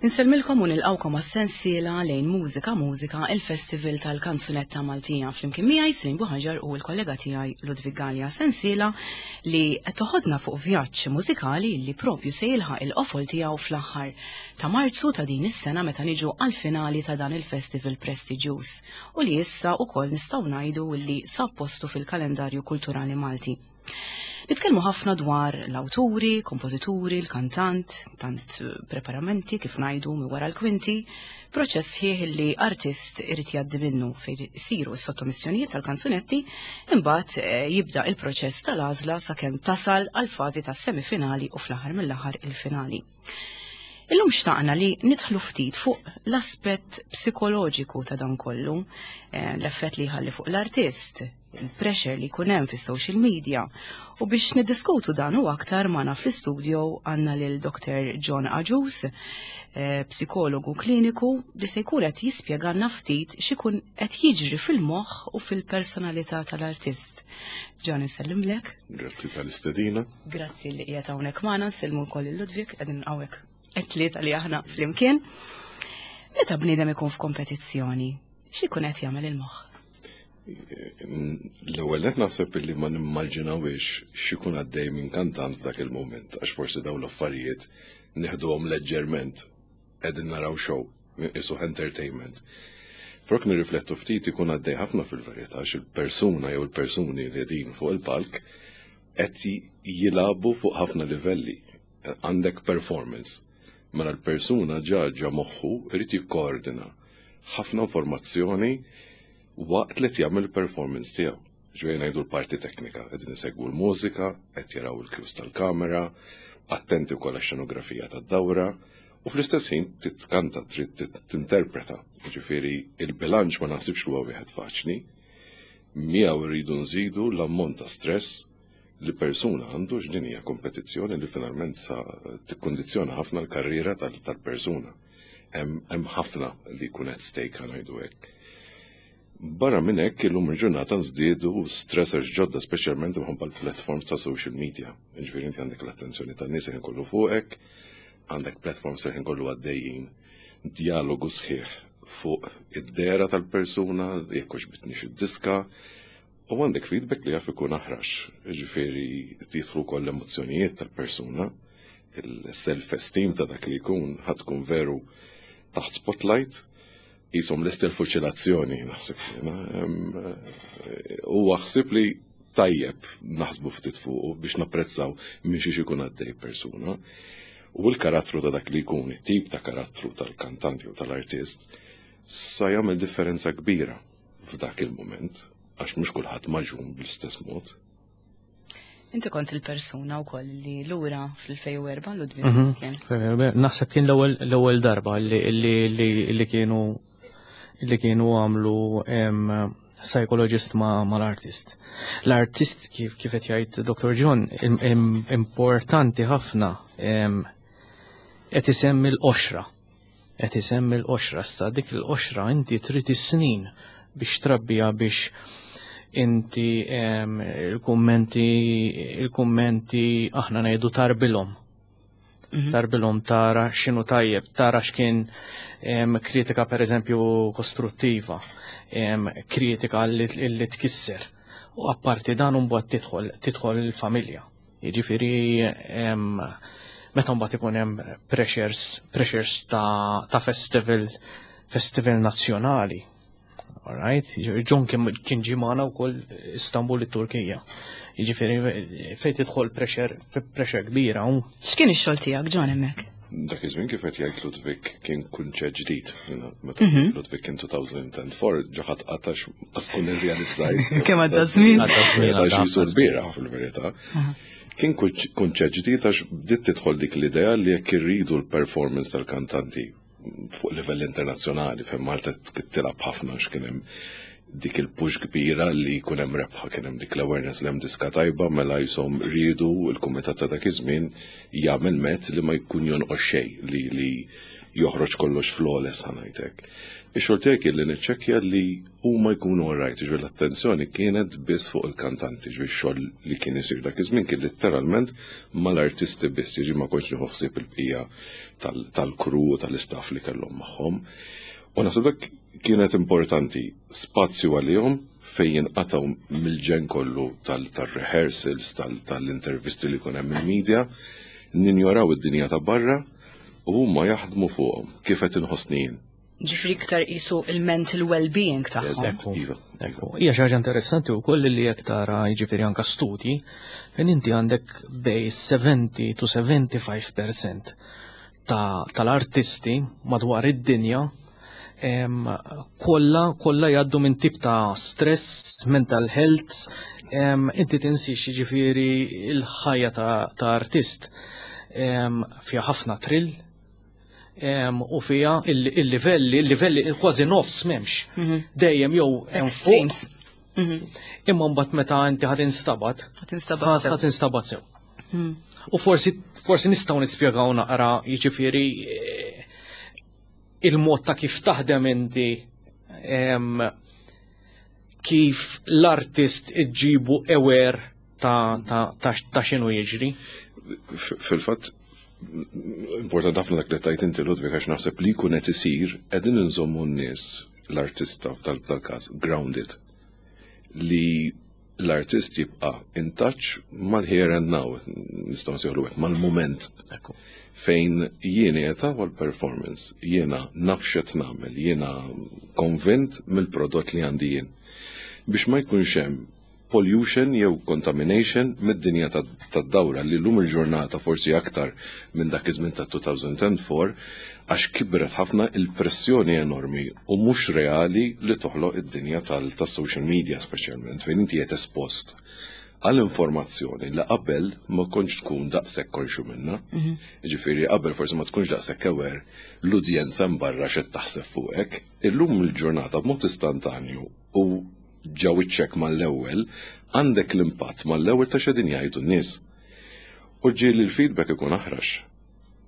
Insellmilkom u nilqgħukom għas-sensiela lejn Mużika Mużika, il-Festival tal-Kanzunetta Maltija. Flimkien miegħi Srin Buħaġar u l-kollega tiegħi Ludwig Galea. Sensiela li qed toħodna fuq vjaġġ mużikali li propju se jilħaq il-qofol tiegħu fl-aħħar ta' Marzu ta' din is-sena meta niġu għall-finali ta' dan il-festival prestiġjuż u li issa wkoll nistgħu ngħidu li sab postu fil-kalendarju kulturali Malti. Nitkellmu ħafna dwar l-awturi, kompożituri, l-kantant, tant eh, preparamenti kif ngħidu mi wara l-kwinti, proċess ħieħ li artist irid jgħaddi minnu fejn isiru s-sottomissjonijiet tal-kanzunetti, imbagħad eh, jibda il-proċess tal-għażla sakemm tasal għal fażi tas-semifinali u fl-aħħar mill-aħħar il-finali. Illum xtaqna li nidħlu ftit fuq l-aspett psikoloġiku ta' dan kollu, eh, l-effett li jħalli fuq l-artist, il-pressure li jkun hemm fis-social media. U biex niddiskutu dan u aktar magħna fl-istudio għandna lil Dr. John Agius, eh, psikologu kliniku li se jkun qed jispjegalna ftit x'ikun qed jiġri fil-moħħ u fil-personalità tal-artist. John insellimlek. Grazzi tal-istedina. Grazzi li qiegħed hawnhekk magħna, nsellmu wkoll lil Ludwig qegħdin hawnhekk it-tlieta li aħna flimkien. Meta bniedem ikun f'kompetizzjoni, x'ikun qed jagħmel il-moħħ? L-ewwel qed naħseb illi ma nimmaġinawiex x'ikun għaddej minn kantant f'dak il-mument, għax forsi dawn l-affarijiet nieħduhom leġġerment qegħdin naraw show, isu entertainment. Prok nirriflettu ftit ikun għaddej ħafna fil-verità għax il-persuna jew il-persuni li qegħdin fuq il-palk qed jilagħbu fuq ħafna livelli. Għandek performance. Mela l-persuna ġa ġa moħħu irid jikkoordina ħafna informazzjoni waqt li qed jagħmel il-performance tiegħu. Ġej ngħidu l-parti teknika, qegħdin isegwu l-mużika, qed jaraw il-cues tal-kamera, attenti wkoll għax-xenografija tad-dawra, u fl-istess ħin titkanta, trid tinterpreta. Ġifieri il-bilanċ ma naħsibx li huwa wieħed faċli. Miegħu rridu nżidu l-ammont ta' stress li persuna għandu x'din hija kompetizzjoni li finalment sa tikkundizzjona ħafna l-karriera tal-persuna. Hemm ħafna li jkun at stake ngħidu hekk. Barra minn hekk illum il-ġurnata nżdiedu stressors ġodda speċjalment imħabba l-platforms ta' social media. Ġifieri inti għandek l-attenzjoni tan-nies ħin kollu fuqek, għandek platforms ħin kollu għaddejjin dialogu sħiħ fuq id-dera tal-persuna, jekk hux bitnix id-diska, u għandek feedback li jaf ikun aħrax. Ġifieri jidħlu wkoll l-emozzjonijiet tal-persuna, il-self-esteem ta' dak li jkun ħadd tkun veru taħt spotlight, jisom lest il-fuċilazzjoni naħseb jiena. Huwa ħsieb li tajjeb naħsbu ftit fuqu biex napprezzaw minn xiex ikun għaddej persuna. U l-karattru ta' dak li jkun, it-tip ta' karattru tal-kantant jew tal-artist, sa jagħmel differenza kbira f'dak il-moment, għax mhux kulħadd maġun bl-istess mod. Inti kont il-persuna wkoll li lura fl-2004 Ludwig mhm. kien. Naħseb kien l-ewwel darba li kienu li kienu għamlu psychologist ma l-artist. L-artist kif kif qed jgħid Dr. John importanti ħafna qed isemmi l-qoxra. Qed isemmi l-qoxra issa dik il-qoxra inti trid is-snin biex trabbija biex inti il-kummenti il-kummenti aħna ngħidu tarbilhom. Mhm. Tarbilhom tara x'inhu tajjeb, tara x'kien kritika pereżempju kostruttiva, kritika li tkisser. U apparti dan mbagħad tidħol tidħol il-familja. Jiġifieri meta mbagħad ikun hemm pressures, pressures ta', ta festival, festival nazzjonali. Alright, John kien ġie magħna wkoll Istanbul it-Turkija. Jiġifieri fejn tidħol pressure, pressure kbira. X'kien ix-xogħol tiegħek John hemmhekk? Dak iż-żmien kif qed jgħid Ludwig kien kunċett ġdid. Meta mhm. Ludwig kien 2004 ġaħat qatax qas kun irrealizzajt. Kemm għadda żmien. Għadda żmien l-bieraħ fil-verità. Kien kunċett ġdid għax bdiet tidħol dik l-idea li jekk irridu l-performance tal-kantanti fuq livell internazzjonali, fejn Malta tilgħab ħafna għax kien hemm dik il-push kbira li jkun hemm rebħa, kien hemm dik l-awareness li hemm diska tajba mela jisom riedu il-kumitat ta' dak iż-żmien jagħmel mezz li ma jkun jonqos xejn li li. Joħroġ kollox flawless, ħa ngħidlek. Ix-xogħol tiegħi kien li niċċekkja li huma jkunu alright, ġifieri l-attenzjoni kienet biss fuq il-kantanti, ġifieri x-xogħol li kien isir dak iż-żmien kien litteralment mal-artisti biss, jiġifieri ma kontx nieħu ħsieb il-bqija tal-crew u tal-istaff li kellhom magħhom. U naħseb dak kienet importanti, spazju għalihom fejn jinqatgħu mill-ġen kollu tal-rehearsals, tal-intervisti li jkun hemm il-media, ninjoraw id-dinja ta' barra u huma jaħdmu fuqhom kif qed inħossni jien. Ġifieri iktar qisu il-mental well-being tagħhom. Eżatt, iva. Ekku. Hija xi ħaġa interessanti wkoll li jekk tara, jiġifieri, anke studji fejn inti għandek bej 70 to 75% tal-artisti madwar id-dinja kollha kollha jgħaddu minn tip ta' stress, mental health, inti tinsix, jiġifieri, il-ħajja ta' artist fiha ħafna thrill u fiha il-livelli kważi nofs m'hemmx. Dejjem jew hemm fuq, Extremes. Imma mbagħad meta inti ħad instabat, Ħa tinstabat sew. Ħa tinstabat sew. U forsi nistgħu nispjegaw naqra, jiġifieri, il-mod ta' kif taħdem inti, kif l-artist iġġibu aware ta' x'inhu jiġri. Fil-fatt, importanti ħafna dak li tajt inti, Ludwig, għax naħseb li jkun qed isir, qegħdin inżommu n-nies, l-artista f'dal-każ, grounded. Li l-artist jibqa' in touch mal-here and now, nistgħu nsejħulu hekk, mal-moment. Fejn jien qiegħed għal performance, jiena naf x'qed nagħmel, jiena konvint mill-prodott li għandi jien. Biex ma jkunx hemm pollution jew contamination mid-dinja tad-dawra li llum il-ġurnata forsi aktar minn dak iż-żmien ta' 2004, għax kibret ħafna il-pressjoni enormi u mhux reali li toħloq id-dinja tas-social media speċjalment, fejn inti qed espost għal informazzjoni li qabel ma kontx tkun daqshekk konxju minna. Ġifieri qabel forsi ma tkunx daqshekk aware l-udjenza mbarra x'qed taħseb fuqek. Illum il-ġurnata b'mod istantanju u ġo wiċċek mal-ewwel għandek l-impatt mal-ewwel ta' x'qegħdin jgħidu n-nies. U ġieli l-feedback ikun aħrax.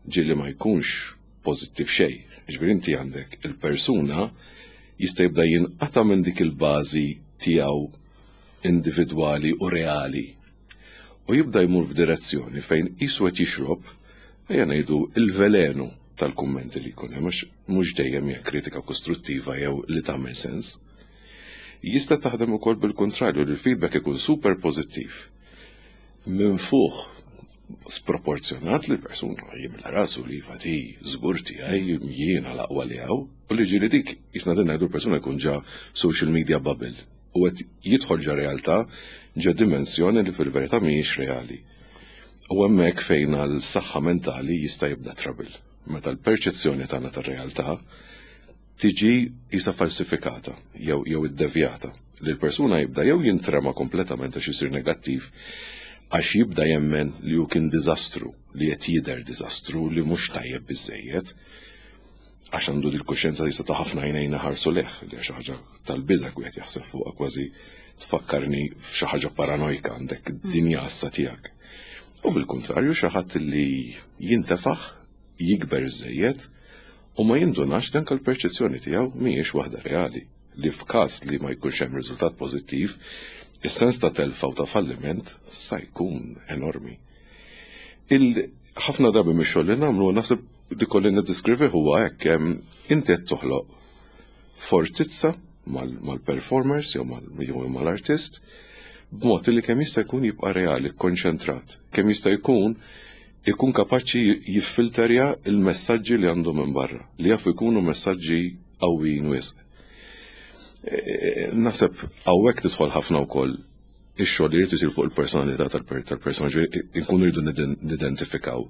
Ġieli ma jkunx pożittiv xejn. Ġifieri inti għandek il-persuna jista' jibda jinqata' minn dik il-bażi tiegħu individwali u reali. U jibda jmur f'direzzjoni fejn qisu qed jixrob, ejja ngħidu, il-velenu tal-kummenti li jkun hemm, għax mhux dejjem hija kritika kostruttiva jew li tagħmel sens. Jista' taħdem ukoll bil-kontrarju, li l-feedback ikun super pożittiv. Minn fuq sproporzjonat li l-persuna jimla rasu li fati żgur tiegħi, jiena l-aqwa li hawn, u li ġieli dik jisna din ngħidu l-persuna jkun ġa social media bubble u qed jidħol ġa realtà, ġa dimensjoni li fil-verità mhijiex reali. U hemmhekk fejn għal saħħa mentali jista' jibda trouble. Meta l-perċezzjoni tagħna tar-realtà tiġi isa falsifikata jew iddevjata. Li l-persuna jibda jew jintrema kompletament għax isir negattiv, għax jibda jemmen li hu kien diżastru, li qed jidher diżastru, li mhux tajjeb biżejjed, għax għandu dil-kuxjenza li ta' ħafna għajnejn ħarsu lejh, li xi ħaġa tal-biża' wieħed jaħseb fuqha, kważi tfakkarni f'xi ħaġa paranojka, għandek dinja assa tiegħek. U bil-kontrarju xi ħadd li jintefaħ, jikber żejjed u ma jindunax li anke l-perċezzjoni tiegħu mhijiex waħda reali, li f'każ li ma jkunx hemm riżultat pożittiv, is-sens ta' telfa u ta' falliment sa jkun enormi. Il ħafna drabi mix-xogħol li nagħmlu, naħseb li kolli niddeskrivi huwa hekk, inti qed toħloq fortizza mal-performers jew mal-artist b'mod li kemm jista' jkun jibqa' reali, konċentrat, kemm jista' jkun ikun kapaċi jiffilterja il-messaġġi li għandu minn barra, li jafu jkunu messaġġi qawwijin wisq. Naħseb hawnhekk tidħol ħafna wkoll ix-xogħol li jrid isir fuq il-personalità tal-persona, ġifieri nkunu rridu nidentifikaw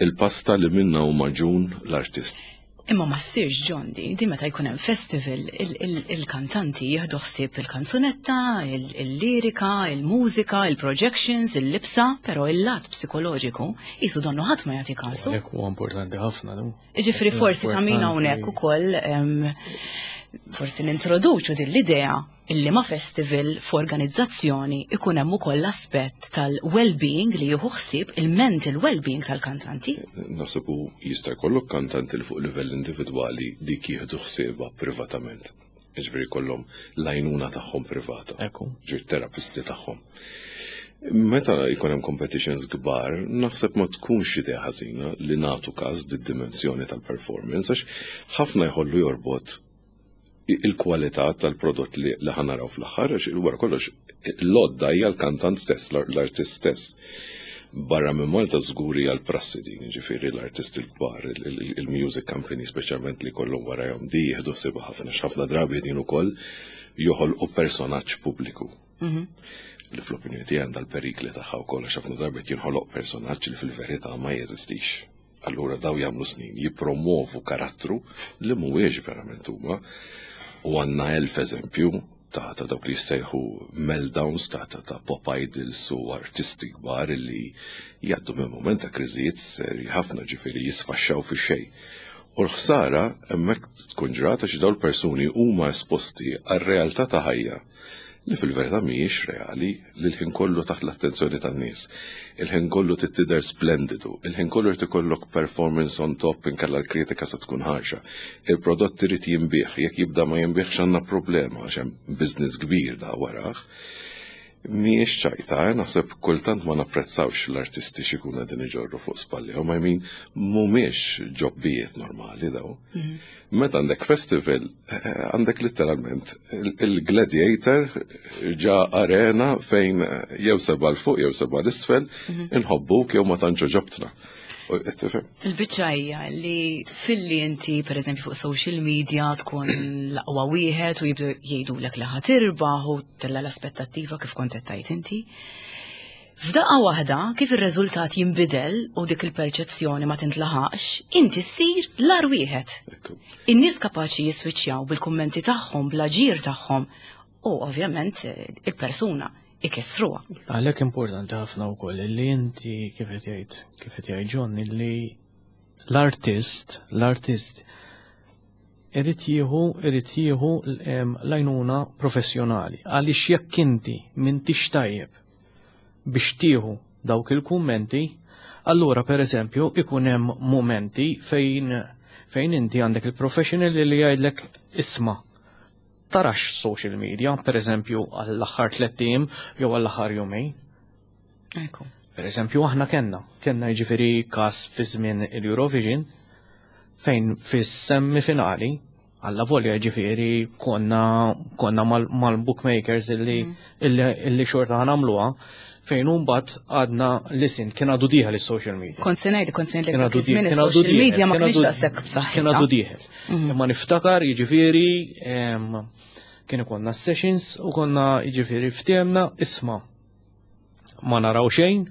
il-pasta li minna hu magħġun l-artist. Imma ma ssirx ġondi, di meta jkun hemm festival, il-kantanti jieħdu ħsieb il-kanzunetta, il-lirika, il-mużika, il-projections, il-libsa, però il-lat psikoloġiku jisu donnu ħadd ma jagħti kasu. Hekk huwa importanti ħafna, nu. Ġifieri forsi ta' min hawnhekk ukoll. Forsi nintroduċu din l-idea illi ma' festival f'organizzazzjoni ikun hemm ukoll l-aspett tal-well-being li jieħu ħsieb il-mental well-being tal-kantanti. Naħseb u jista' jkollok kantanti li fuq livell individwali dik jieħdu ħsiebha privatament. Jiġifieri jkollhom l-għajnuna tagħhom privata. Ekku. Ġifieri terapisti tagħhom. Meta jkun hemm competitions kbar, naħseb ma tkunx idea ħażina li nagħtu każ did-dimensjoni tal-performance għax ħafna jħollu jorbot il-kwalità tal-prodott li ħa naraw fl-aħħar, għax wara kollox l-għodda hija l-kantant stess, l-artist stess. Barra minn Malta żgur hija l-prassi din, jiġifieri l-artisti l-kbar, il-music company speċjalment li kollhom warajhom di jieħdu ħsiebha ħafna, x'ħafna drabi din ukoll joħolqu personaġġ pubbliku. Li fl-opinjoni tiegħi għandha l-perikli tagħha wkoll għax ħafna drabi qed jinħoloq personaġġ li fil-verità ma jeżistix. Allura daw jagħmlu snin jippromovu karattru li mhuwiex verament huma. U għandna 1000 eżempju ta' dawk li jissejħu meltdowns ta' pop idols u artisti kbar li jgħaddu minn moment ta' kriżijiet serji ħafna, ġifieri jisfaxxaw fi xejn. U l-ħsara hemmhekk tkun ġrata xi dawn l-persuni huma esposti għar-realtà ta' ħajja li fil-verità mhijiex reali, li l-ħin kollu taħt l-attenzjoni tan-nies. Il-ħin kollu trid tidher splendidu, il-ħin kollu jrid ikollok performance on top inkella l-kritika se tkun ħarxa. Il-prodott irid jinbigħ, jekk jibda ma jinbigħx għandna problema għax hemm business kbir da warah. Mhijiex ċajta, naħseb kultant ma napprezzawx l-artisti x'ikunu qegħdin iġorru fuq spallihom, I mean mhumiex ġobbijiet normali daw. Meta għandek festival, għandek letteralment il-gladiator ġa arena fejn jew seba' 'l fuq jew seba' 'l isfel, inħobbuk jew ma tantx ġobtna. Il-biċċa hija li filli inti pereżempju fuq social media tkun l-aqwa wieħed u jibdu jgħidulek li ħa tirbaħ u tella l-aspettattiva kif kont qed tgħid inti. F'daqqa waħda, kif ir-riżultat jinbidel u dik il-perċezzjoni ma tintlaħaqx, inti ssir l-agħar wieħed. In-nies kapaċi jiswiċċjaw bil-kummenti tagħhom, bl-aġir tagħhom u ovvjament il-persuna ikissruha. Għalhekk importanti ħafna wkoll li inti kif qed jgħid, kif qed jgħid John, li l-artist, l-artist irid jieħu, irid jieħu l-għajnuna professjonali. Għaliex jekk inti m'intix tajjeb biex tieħu dawk il-kummenti, allura per eżempju ikun hemm momenti fejn fejn inti għandek il-professional li jgħidlek isma' tarax social media, per eżempju għall-aħħar 3 ijiem jew għall-aħħar jumejn. Ekku. Per eżempju aħna kellna jiġifieri każ fi żmien il-Eurovision fejn fis-semifinali għalla volja jiġifieri konna mal-bookmakers illi xorta ħanamluha, fejn mbagħad għadna lisin kien għadu dieħel is-social media. Kont se ngħid, kont se ngħidlek Kien dak għadu iż-żmien dieħel, kien għadu is-social dieħel, media ma kien kienx għadu daqshekk b'saħħitha. Kien għadu dieħel. Imma niftakar jiġifieri, kien ikollna sessions u konna jiġifieri ftehemna isma' ma naraw xejn,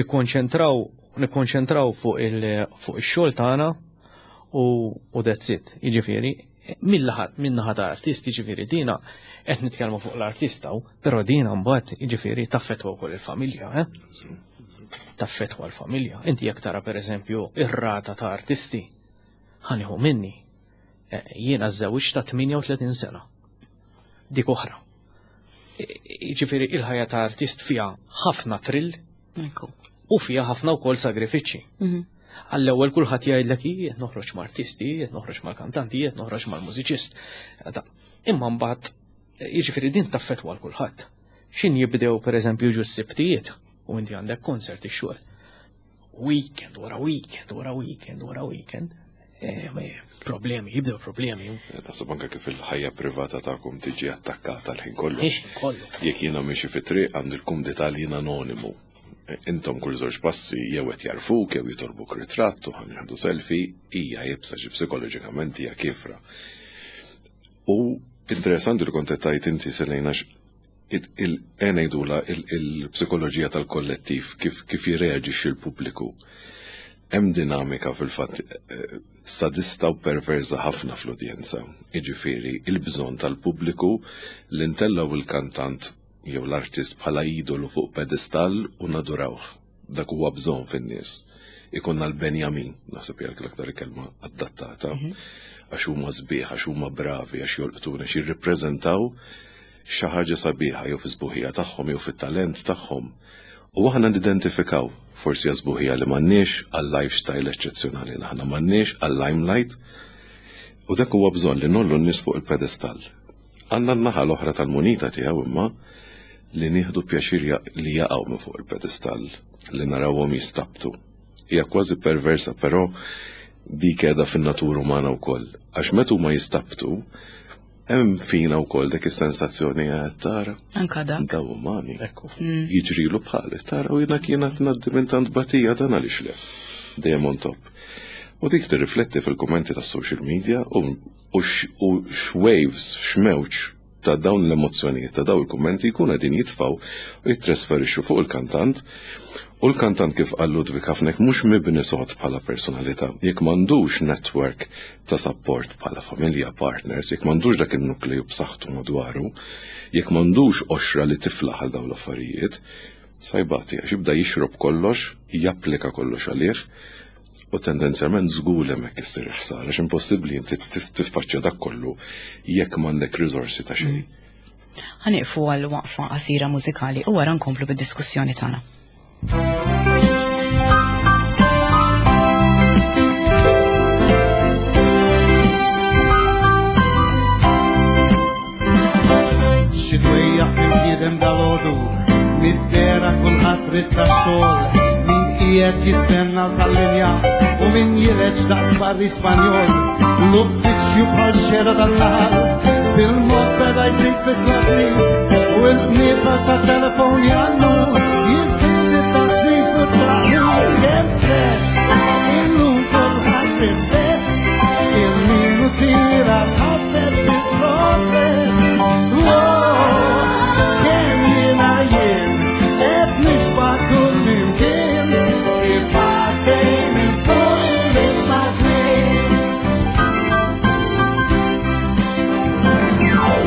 nikkonċentraw fuq ix-xogħol tagħna u that's it. Jiġifieri, min-naħa ta' artisti, jiġifieri dina qed nitkellmu fuq l-artista, però dina mbagħad jiġifieri taffettwa wkoll il-familja, eh? Taffettwa l-familja. Inti jekk tara pereżempju ir-rata ta' artisti, ħaniħu minni. Jiena żewġ ta' 38 sena. Dik oħra. Jiġifieri il-ħajja ta' artist fiha ħafna thrill u fiha ħafna wkoll sagrifiċċji. Għall-ewwel kulħadd jgħidlek qed noħroġ ma' artisti, qed noħroġ mal-kantanti, qed noħroġ mal-mużiċist. Imma mbagħad jiġifieri din taffettwa għal kulħadd. X'in jibdew pereżempju ġu s-sibtijiet u inti għandek konsert ix-xogħol. Weekend wara weekend wara weekend wara weekend. Problemi, jibdew problemi. Naħseb anke kif il-ħajja privata tagħkom tiġi attakkata l-ħin kollu. Il-ħin kollu. Jekk jiena miexi fit-triq għand il-kumdità li jiena anonimu. Intom kull żewġ passi jew qed jarfuk jew jitolbuk ritratt u ħa nieħdu selfie, hija iebsa xi psikoloġikament hija kifra. U interessanti li kont qed tgħid inti Selena ngħidula il-psikoloġija tal-kollettiv kif jirreaġixxi l-pubbliku. Hemm dinamika fil-fatt sadista u perversa ħafna fl-udjenza. Jiġifieri il-bżonn tal-pubbliku li ntellaw il-kantant jew l-artist bħala idolu fuq pedestall u nadurawh. Dak huwa bżonn fin-nies. Ikollna l-Benjamin, naħseb hija l-aktar kelma adattata, għax huma sbieħ, għax huma bravi, għax jolqtuna, għax jirrippreżentaw xi ħaġa sabiħa jew fis-sbuħija tagħhom jew fit-talent tagħhom. U aħna nidentifikaw forsi għas-sbuħija li m'għandniex, għal-lifestyle eċċezzjonali li aħna m'għandniex, għal-limelight. U dak huwa bżonn li nollu n-nies fuq il-pedestall. Għandna n-naħa l-oħra tal-munita tiegħu imma li nieħdu pjaċir li jaqgħu minn fuq il-pedestall, li narawhom jistabtu. Hija kważi perversa, però dik qiegħda fin-natura umana wkoll. Għax meta huma jistabtu, hemm fina wkoll dik is-sensazzjoni qed tara. Anka dak. Daw umani. Ekku. Jiġrilu bħal, tara u jiena kien qed ngħaddi minn tant batija dan għaliex le. Dejjem on top. U dik tirrifletti fil-kummenti tas-social media u x'waves, x'mewġ ta' dawn l-emozzjonijiet, ta' dawn il-kummenti jkunu qegħdin jitfgħu u jittrasferixxu fuq il-kantant. U l-kantant kif qal Ludwig ħafna jekk mhux mibni sod bħala personalità, jekk m'għandux network ta' support bħala familja, partners, jekk m'għandux dak in-nukleju b'saħħtu madwaru, jekk m'għandux qoxra li tiflaħ għal dawn l-affarijiet, sa jbati għax jibda jixrob kollox, japplika kollox għalih, u tendenzjalment żgur li hemmhekk issir il-ħsara, għax impossibbli inti tiffaċċja dak kollu jekk m'għandek riżorsi ta' xejn. Ħa nieqfu għal waqfa qasira mużikali u wara nkomplu bid-diskussjoni tagħna. Xi dwejjaq minn bniedem dalgħodu, mid-dehra kulħadd rid tax-xogħol, min qiegħed jistenna tal-linja u min jileġ daqs barri Spanjol. L-uffiċċju bħal xera tan-naħal, bil-mod beda jżid fit-tlaħli, u l-qniepa ta' telefon jannu, jiżdied it-taħżiż u t-taqli. Kemm stress, illum kulħadd l-istess, il-minu tira tħabbeb bil-progress. Wow, kemm jiena jien, qed nixba' kull imkien, kif għaddej minn fuq il-isma' żmien.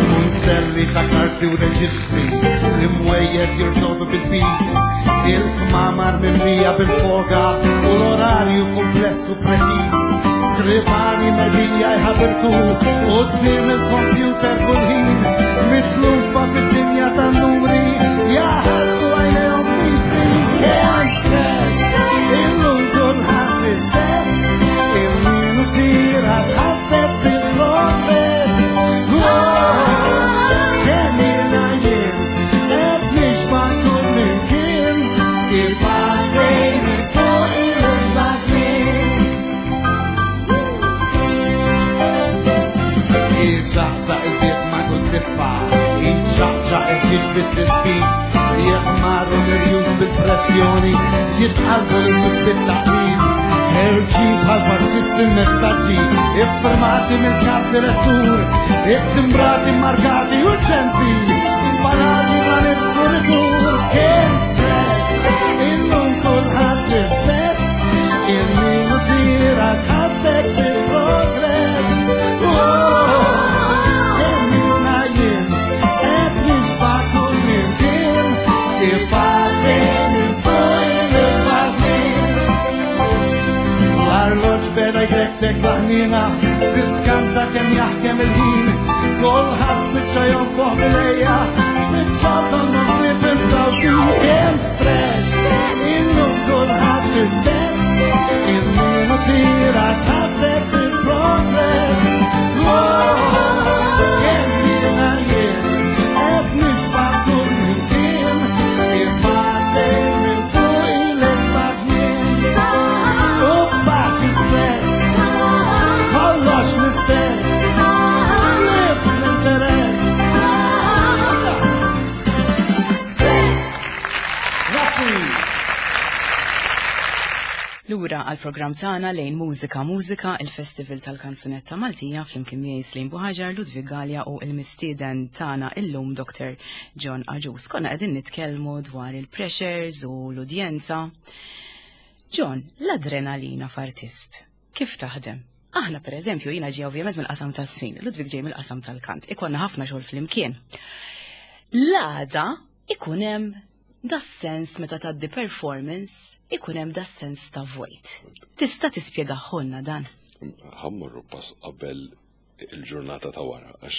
Munzelli ta' karti u reġistri, l-imwejjed jirtodu bil-pis, il-kmamar mimlija bil-foga u l-orarju kumpless u preċiż. Skrivani medija jħabirku quddiem il-kompjuter kull ħin, mitlufa fid-dinja tan-numri, jaħarqu għajnejhom fifi. Kemm stress, illum kulħadd l-istess, il-minu tira tħabbeb bil-progress. Wow, kemm jiena jien, qed nixba' kull imkien, kif għaddej minn fuq il-isma' żmien. Iżaqżaq il-bieb ma' kull siffa, iċċaqċaq il-ġiex bit-tisbit, jeħmaru l-irjus bil-pressjoni, jitqalbu l-nies bit-taqlib, ħerġin bħal pastizz il-messaġġi, iffirmati mill-kap direttur, ittimbrati, markati urġenti, sparati ma' nifs kuritur. Kemm stress, illum kulħadd l-istess, il-minu tira tħabbeb bil-progress. Wow, kemm jiena jien, qed nixba' kull imkien, kif għaddej minn fuq il-isma' żmien. L-arloġġ beda jtektek l-ħniena, tiskanta kemm jaħkem il-ħin, kulħadd spiċċa jonfoħ bil-ejja, spiċċa donnu ħsieb imsawtin. Kemm stress, illum kulħadd l-istess, il-minu tira tħabbeb bil-progress. Wow, kemm jiena jien, qed nixba' kull imkien, kif għaddej minn fuq il-isma' żmien. U paċi stress, kollox l-istess, tlif l-interess. Stress! Grazzi! Lura għal-programm tagħna lejn Mużika Mużika, il-Festival tal-Kanzunetta Maltija flimkien miegħi Slim Buħaġar, Ludwig Galea u l-mistieden tagħna illum Dr. John Agius. Konna qegħdin nitkellmu dwar il-pressures u l-udjenza. John, l-adrenalina f'artist, kif taħdem? Aħna per eżempju, jiena ġej ovvjament mill-qasam ta' sfin, Ludwig ġej mill-qasam tal-kant, ikonna ħafna xogħol flimkien. L-għada ikun hemm Das-sens meta tgħaddi performance ikun hemm das-sens ta' vojt. Tista' tispjegaħolna dan? Ħa mmorru pass qabel il-ġurnata ta' wara, għax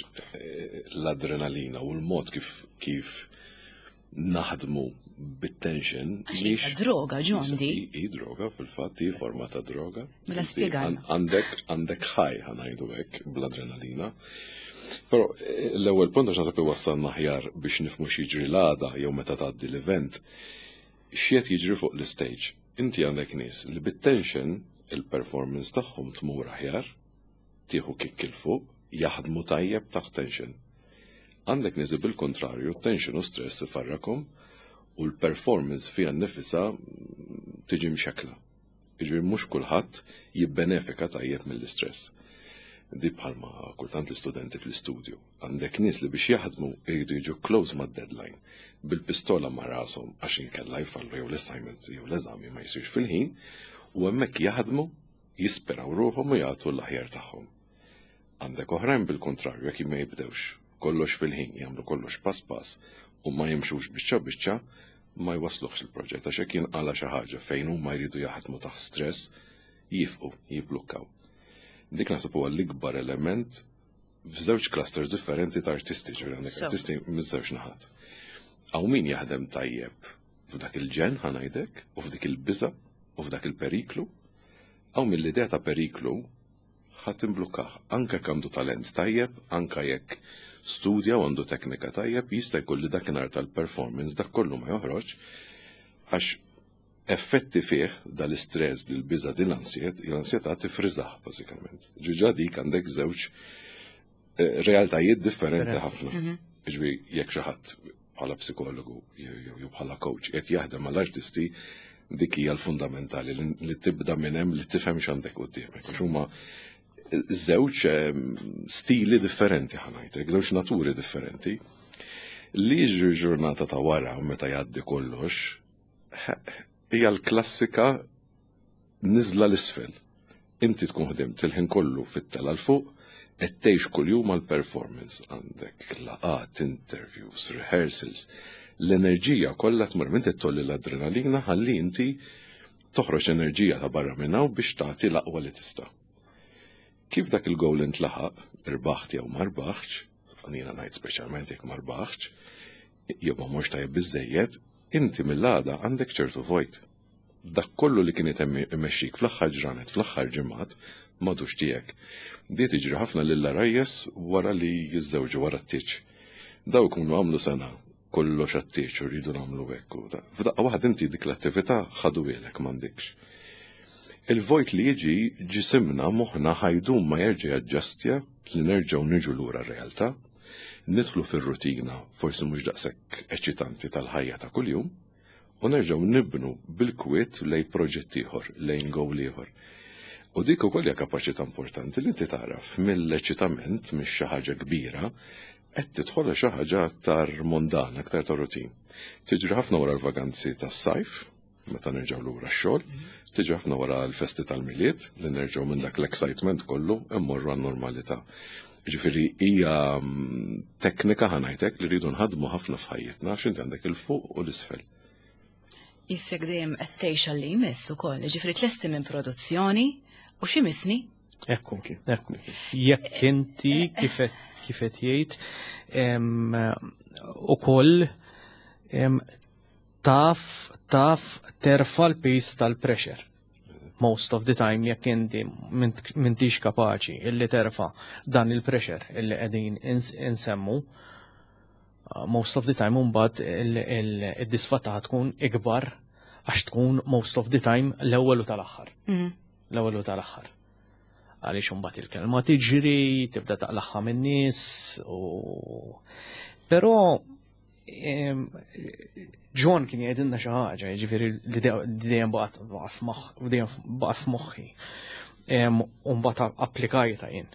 l-adrenalina u l-mod kif naħdmu bit-tension. Għax hija droga, John, di. Hi droga, fil-fatt, hi forma ta' droga. Mela spjegalna. Għandek ħaj, ħa ngħidu hekk, bl-adrenalina. Però l-ewwel punt, għax naħseb iwassalna aħjar biex nifhmu x'jiġri l-għada jew meta tgħaddi l-event, x'qed jiġri fuq l-istage. Inti għandek nies li bit-tension il-performance tagħhom tmur aħjar, tieħu kick 'il fuq, jaħdmu tajjeb taħt tension. Għandek nies li bil-kontrarju, tension u stress ifarrakom u l-performance fija nnifisha tiġi mxekla. Jiġifieri mhux kulħadd jibbenefika tajjeb mill-istress. Di bħalma kultant l-istudenti fl-istudju. Għandek nies li biex jaħdmu jridu jiġu close mad-deadline, bil-pistola ma' rashom għax inkella jfallu jew l-assignment jew l-eżami ma jsirx fil-ħin, u hemmhekk jaħdmu, jisperaw ruħhom u jagħtu l-aħjar tagħhom. Għandek oħrajn bil-kontrarju, jekk ma jibdewx kollox fil-ħin, jagħmlu kollox pass pass u ma jimxux biċċa biċċa, ma jwasluħx il-proġett, għax jekk jinqala xi ħaġa fejn huma jridu jaħdmu taħt stress, jifqu, jiblukkaw. Dik naħseb huwa l-ikbar element f'żewġ clusters differenti ta' artisti, ġifieri għandek artisti miż-żewġ naħat. Hawn min jaħdem tajjeb f'dak il-ġen, ħa ngħidlek, u f'dik il-biża' u f'dak il-periklu, hawn mill-idea ta' periklu ħa timblukkah, anke jekk għandu talent tajjeb, anke jekk studja u għandu teknika tajjeb, jista' jkun li dakinhar tal-performance dak kollu ma joħroġ, għax effetti fih dal-istress, dil-biża, din l-ansjetà tifriżah bażikament. Ġiġa dik għandek żewġ realtajiet differenti ħafna. Ġifieri jekk xi ħadd bħala psikologu jew bħala coach qed jaħdem mal-artisti, dik hija l-fundamentali li tibda minn hemm, li tifhem x'għandek quddiemek. Għax huma żewġ stili differenti, ħa ngħidlek, żewġ naturi differenti. Li jiġri ġurnata ta' wara meta jgħaddi kollox hija l-klassika niżla l-isfel. Inti tkun ħdimt il-ħin kollu fit-tela 'l fuq, qed tgħix kuljum għall-performance, għandek laqat, interviews, rehearsals. L-enerġija kollha tmur minn tolli l-adrenalina ħalli inti toħroġ enerġija ta' barra minn hawn biex tagħti l-aqwa li tista'. Kif dak il-goal intlaħaq, irbaħt jew ma rbaħtx, jiena ngħid speċjalment jekk ma rbaħtx, jew ma mhux tajjeb biżejjed, inti mill-għada għandek ċertu vojt. Dak kollu li kien imexxik fl-aħħar ġranet, fl-aħħar ġimgħat, m'għadux tiegħek. Di tiġri ħafna lill-għarajjes wara li jiżżewġu, wara t-tieġ. Daw ikunu għamlu sena kollox għat-tieġ u rridu nagħmlu hekk u da. F'daqqa waħda inti dik l-attività ħaduhielek, m'għandikx. Il-vojt li jiġi, ġisimna, moħħna ħa jdum ma jerġa' jaġġastja li nerġgħu niġu lura r-realtà, nidħlu fir-rutina forsi mhux daqshekk eċitanti tal-ħajja ta' kuljum, u nerġgħu nibnu bil-kwiet lejn proġett ieħor, lejn goal ieħor. U dik ukoll hija kapaċità importanti li inti taraf mill-eċitament, mhix xi ħaġa kbira, qed tidħol xi ħaġa aktar mondana, aktar ta' rutin. Tiġri ħafna wara l-vaganzi tas-sajf, meta nerġgħu lura x-xogħol, tiġi ħafna wara l-festi tal-Milied, li nerġgħu minn dak l-excitement kollu immorru għan-normalità. Ġifieri hija teknika, ħa ngħidlek, li rridu nħadmu ħafna f'ħajjitna, għax inti għandek il-fuq u l-isfel. Issek dejjem qed tgħix għal li jmiss ukoll, ġifieri tlesti minn produzzjoni u xi misni? Ekku, ekku. Jekk inti kif qed jgħid ukoll taf terfa' l-piż tal-pressure. Most of the time jekk inti m'intix kapaċi illi terfa' dan il-pressure illi qegħdin insemmu, most of the time mbagħad id-disfatta tkun ikbar għax tkun most of the time l-ewwel u tal-aħħar. L-ewwel u tal-aħħar. Għaliex imbagħad il-kelma tiġri, tibda taqlaħħa min-nies u però John kien jgħidilna xi ħaġa, jiġifieri li dejjem baqgħet f'moħħi. U mbagħad applikajta jien.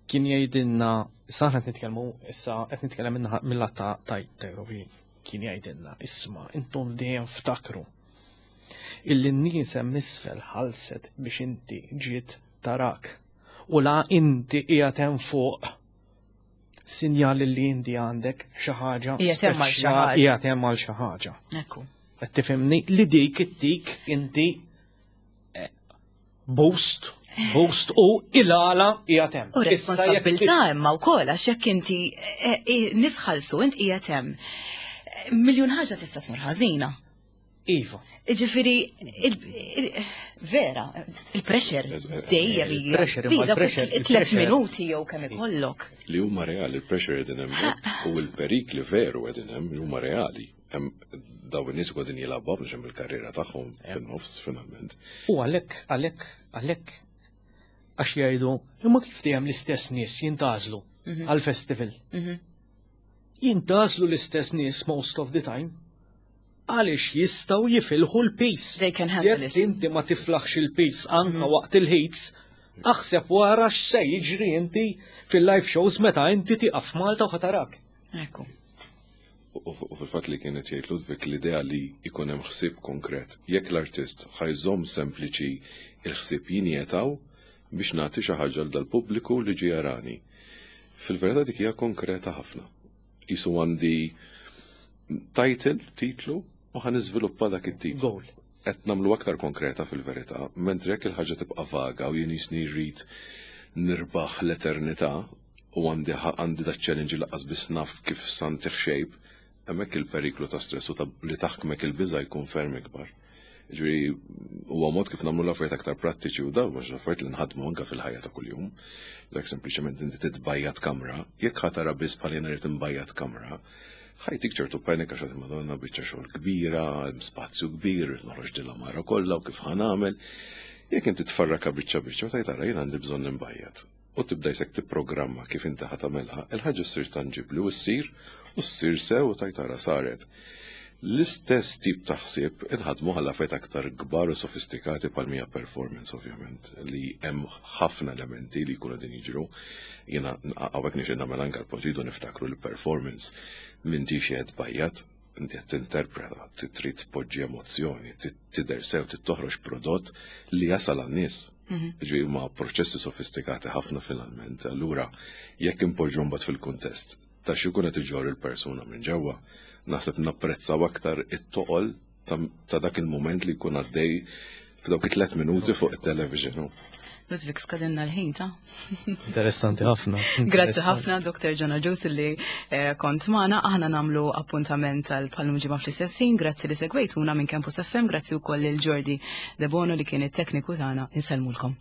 Kien jgħidilna, issa aħna qed nitkellmu, issa qed nitkellem mill-lat ta' Eurovision. Kien jgħidilna, isma', intom dejjem ftakru illi n-nies hemm isfel ħalset biex inti ġiet tarak. U la inti qiegħed hemm fuq. Sinjal li inti għandek xi ħaġa. Qiegħed hemm għal xi ħaġa. Qiegħed hemm għal xi ħaġa. Ekku. Qed tifhimni li dik ittik inti eh, boost, boost u il-għala qiegħed hemm. U Issa jekk responsabilità imma wkoll għax jekk inti eh, eh, nisħalsu int qiegħed hemm. Miljun ħaġa tista' tmur ħażina. Iva. Ġifieri, vera, il-pressure dejjem hija. Il-pressure, imma Bi, dawk il-pressure- it-tlet il-pressure- minuti jew kemm ikollok. Li huma reali, il-pressure qegħdin hemmhekk u l-perikli veru qegħdin hemm li huma reali. Hemm daw in-nies qegħdin jilagħbu biex hemm il-karriera tagħhom fin-nofs finalment. U għalhekk, għalhekk, għalhekk għax jgħidu, imma kif dejjem l-istess nies jintgħażlu għal-festival. Jintgħażlu l-istess nies most of the time għaliex jistgħu jifilħu l-peace. They can handle Jekk it. inti ma tiflaħx il-peace anka waqt il-heats, aħseb wara x'se jiġri inti fil-live shows meta inti tieqaf Malta u ħatarak. Ekku. U u fil-fatt li kienet jgħid Ludwig l-idea li jkun hemm ħsieb konkret. Jekk l-artist ħajżomm sempliċi il-ħsieb jinjetaw biex nagħti xi ħaġa l dal-pubbliku li ġie jarani. Fil-verità dik hija konkreta ħafna. Isu għandi title, titlu, u ħa niżviluppa dak it-titlu. Goal. Qed nagħmlu aktar konkreta fil-verità, mentri jekk il-ħaġa tibqa' vaga u jien jisni rrid nirbaħ l-eternità u għandi għandi da challenge li laqqas biss naf kif santih shape, hemmhekk il-periklu ta' stress u ta' li taħkmek il-biża' jkun ferm ikbar. Ġifieri huwa mod kif nagħmlu l-affarijiet aktar prattiċi u dawn mhux affarijiet li nħadmu anke fil-ħajja ta' kuljum. Dak sempliċement inti titbajjat kamra, jekk ħa tara biss bħal jiena rrid imbajjat kamra, ħajtik ċertu panik għax għad Madonna biċċa xogħol kbira, hemm spazju kbir, rrid noħroġ din l-għamara kollha u kif ħa nagħmel. Jekk inti tfarraka biċċa biċċa u tgħid ara jien għandi bżonn imbajjat. U tibda jsek tipprogramma kif inti ħa tagħmelha, il-ħaġa ssir tanġibli u ssir u ssir sew u tgħid ara saret. L-istess tip ta' ħsieb inħadmu għal affarijiet aktar kbar u sofistikati bħal mija performance ovvjament li hemm ħafna elementi li jkunu din jiġru. Jiena hawnhekk nixtieq nagħmel anke l-punt rridu niftakru li performance m'intix qed bajjat, inti qed tinterpreta, trid tpoġġi emozzjoni, tidher sew, trid toħroġ prodott li jasal għan-nies. Ġifieri huma proċessi sofistikati ħafna finalment. Allura jekk impoġġu mbagħad fil-kuntest ta' xi jkun qed iġorr il-persuna minn ġewwa, naħseb napprezzaw aktar it-toqol ta' dak il-moment li jkun għaddej f'dawk it-tlet minuti fuq it-television. Ludwig skadinna l-ħin ta' Interessanti ħafna. Grazzi ħafna Dr. John Agius li eh, kont magħna. Aħna nagħmlu appuntament tal palum ġimgħa fl-istess ħin. Grazzi li segwejtuna minn Campus FM, grazzi wkoll lil Jordi Debono li kien it-tekniku tagħna. Insellmulkom.